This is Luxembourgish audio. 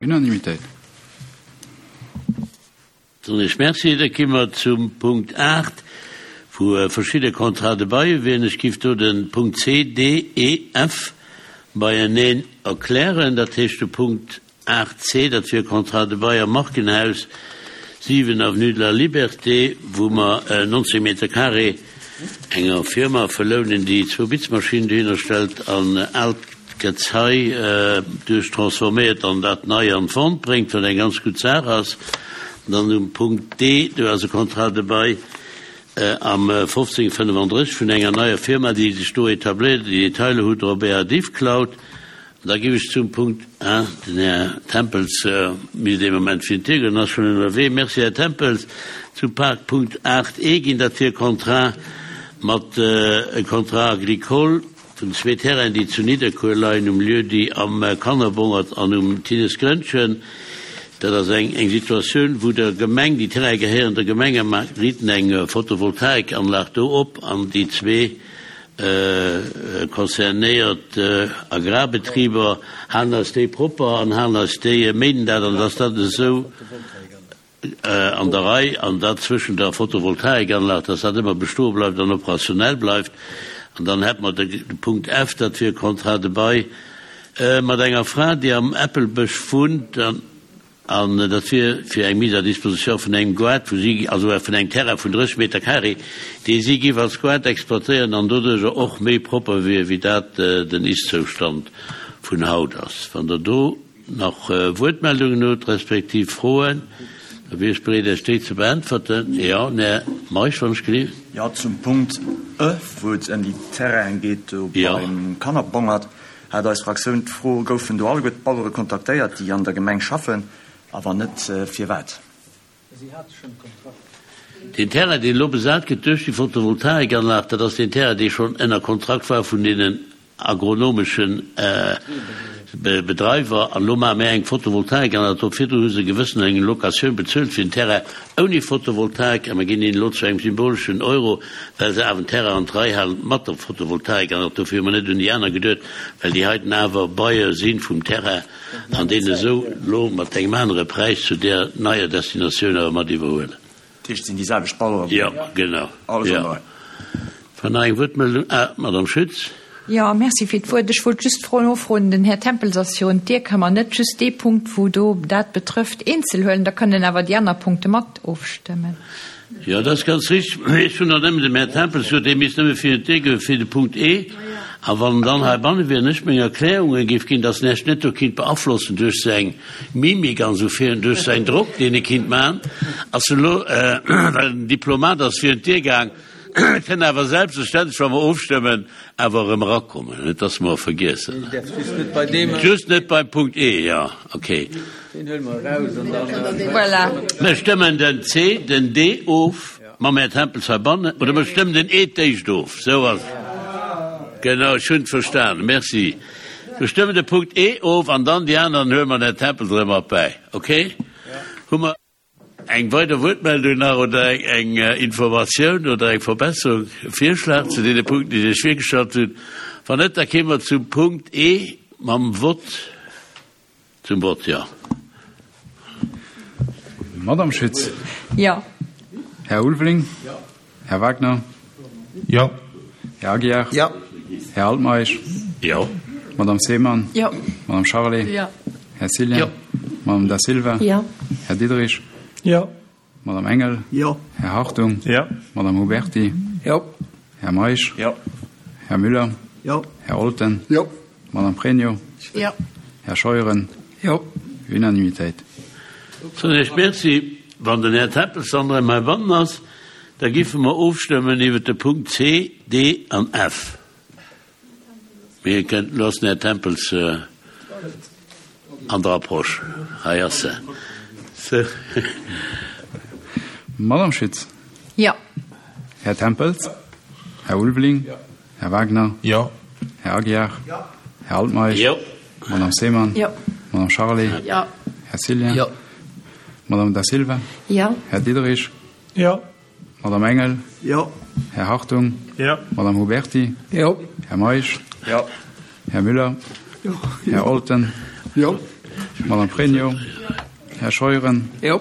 Unanimitéit. Soen ech Merci. Da gi mer zum Punkt 8, wou verschidde Contrats de bail wieren. Ech giff do de Punkt C, D, E, F beieneen erklären. Dat heescht de Punkt 8 C, dat wier e Contrat de bail am Markenhaus, 7 avenue de la Liberté, wou mer 19 Meter carré enger Firma verlounen, déi zwou Bitzmaschinen dohinner stellt an aalt Gezei duerch transforméiert an dat nei an d'Vente bréngt, wat eng ganz gutt Saach ass. Dann um Punkt D, do ass e Contrat de bail am 1535 vun enger neier Firma, déi sech do etabléiert. Déi Detailer hutt Der op Ärer Diffcloud. Da géif ech zum Punkt A, den Här Tempels misst ee Moment virun d'Dier goen, ass schonn ënnerwee. Merci, Här Tempels. Zum Park Punkt 8 E ginn, dat wier e Contrat mat, e Contrat agricole vun zwee Terrainen, déi zu Nidderkuer leien, um Lieu-dit Am Kannerbongert an um Tinnesgrënnchen. Dat ass eng eng Situatioun, wou der Gemeng, déi Terraine gehéieren der Gemeng, a mer riiten eng Photovoltaikanlag do op an déi zwee Concernéiert Agrarbetriber halen eis déi propper an halen eis déi, méinen dat an dass dat esou an der Rei an dat zwëschen der Photovoltaikanlag, dass dat ëmmer bestoe bleift an operationell bleift. An dann hätte mer de Punkt F, dat wier e Contrat de bail mat enger Fra, déi am Äppelbësch wunnt. An dat wier fir eng Mise à disposition vun engem Goart, wou si, also vun engem Terrain vun 30 Meter carré, dee si géif als Goart exploitéieren an doduerjer och méi propper wier, wéi dat den Ist-Zoustand vun haut ass. Wann Der do nach Wuertmeldungen hutt, respektiv Froen, da wier ech bereet, Iech déi ze beäntwerten. Jo, den Här Meisch, wann ech gelift. Jo, zum Punkt e, wou et ëm déi Terrainen geet do beim Kannerbongert. Hat eis Fraktioun d'Fro, Goufen do alleguer d'Bauere kontaktéiert, déi an der Gemeng schaffen, a wann net, firwat? Deen Terrain, deen elo besat gëtt duerch déi Photovoltaikanlag, dat ass deen Terrain, dee schonn ënner Kontrakt war vun deenen agronomeschen Bedreiwer. An elo maache mir eng Photovoltaikanlag drop. Virdru hu se gewëssen eng Locatioun bezuelt fir den Terrain ouni Photovoltaik a mir ginn hinnen elo zu engem symboleschen Euro, well se awer den Terrain an d'Rei halen mat der Photovoltaik an och dofir hu mer net un déi aner geduet, well déi heiten awer Bailleur si vum Terrain an deen esou elo mat engem anere Präis zu där neier Destinatioun awer mat iwwerhuelen. Dat heescht, et sinn déi selwecht Baueren? Jo, genau. Alles an der Rei. War nach eng Wuertmeldung? Ah, Madame Schütz. Jo, merci fir d'Wuert. Ech wollt just nofroen, den Här Tempels ass virun d'Dier, Ka mer net just dee Punkt, wou do dat betrëfft, eenzel huelen? Da kënnen awer déi aner Punkte mat ofstëmmen. Jo, dat ass ganz richteg. Mee ech hunn nach nëmmen dem Här Tempels gesot, dee misst nëmme virun d'Dier goen fir de Punkt E. A wann en dann heibanne wier an ech meng Erklärunge géif ginn, dass en Iech net do kinnt beaflossen duerch seng Mimik an esou virun, duerch säin Drock, deen e kinnt maachen, ass en elo, well en Diplomat ass, virun d'Dier gaang. Et kënn awer selbstverständlech, wa mer ofstëmmen, awer erëm erakommen, net dass mer e vergiessen. Just net beim Punkt E, jo, okay. Mer stëmmen den C, den D of mam Här Tempels heibannen, oder mer stëmmen den E d'éischt of, esou ass et. Genau, ech hunn et verstanen, merci. Mer stëmmen de Punkt E of an dann déi aner, dann huele mer den Här Tempels erëm mat bäi, okay? Hu mer. Eng weider Wuertmeldung nach oder eng Informatioun oder eng Verbesserung, e Virschlag zu deene Punkten, déi ech virgestallt hunn? Wann net, da kéime mer zum Punkt E mam Vott. Zum Vott, jo. Madamm Schütz. Jo. Här Ulveling. Jo. Här Wagner. Jo. Här Aguiar. Jo. Här Altmeisch. Jo. Madame Seemann. Jo. Madame Charlé. Jo. Här Cillien. Jo. Madame Da Silva. Jo. Här Diderich. Jo. Madame Engel. Jo. Här Hartung. Jo. Madame Huberti. Jo. Här Meisch. Jo. Här Müller. Jo. Här Olten. Jo. Madame Pregno. Jo. Här Scheuren. Jo. Unanimitéit. Soen Iech Merci. Wann den Här Tempels dann erëm heibannen ass, da giffe mer ofstëmmen iwwert de Punkt C, D an F. Mee e kënnt, elo ass den Här Tempels an der Approche. Hei ass en. Sou. Madame Schütz. Jo. Här Tempels. Här Ulveling. Jo. Här Wagner. Jo. Här Aguiar. Jo. Här Altmeisch. Jo. Madame Seemann. Jo. Madame Charlé. Jo. Här Cillien. Jo. Madame Da Silva. Jo. Här Diderich. Jo. Madame Engel. Jo. Här Hartung. Jo. Madame Huberti. Jo. Här Meisch. Jo. Här Müller. Jo. Här Olten. Jo. Madame Pregno. Här Scheuren. Jo.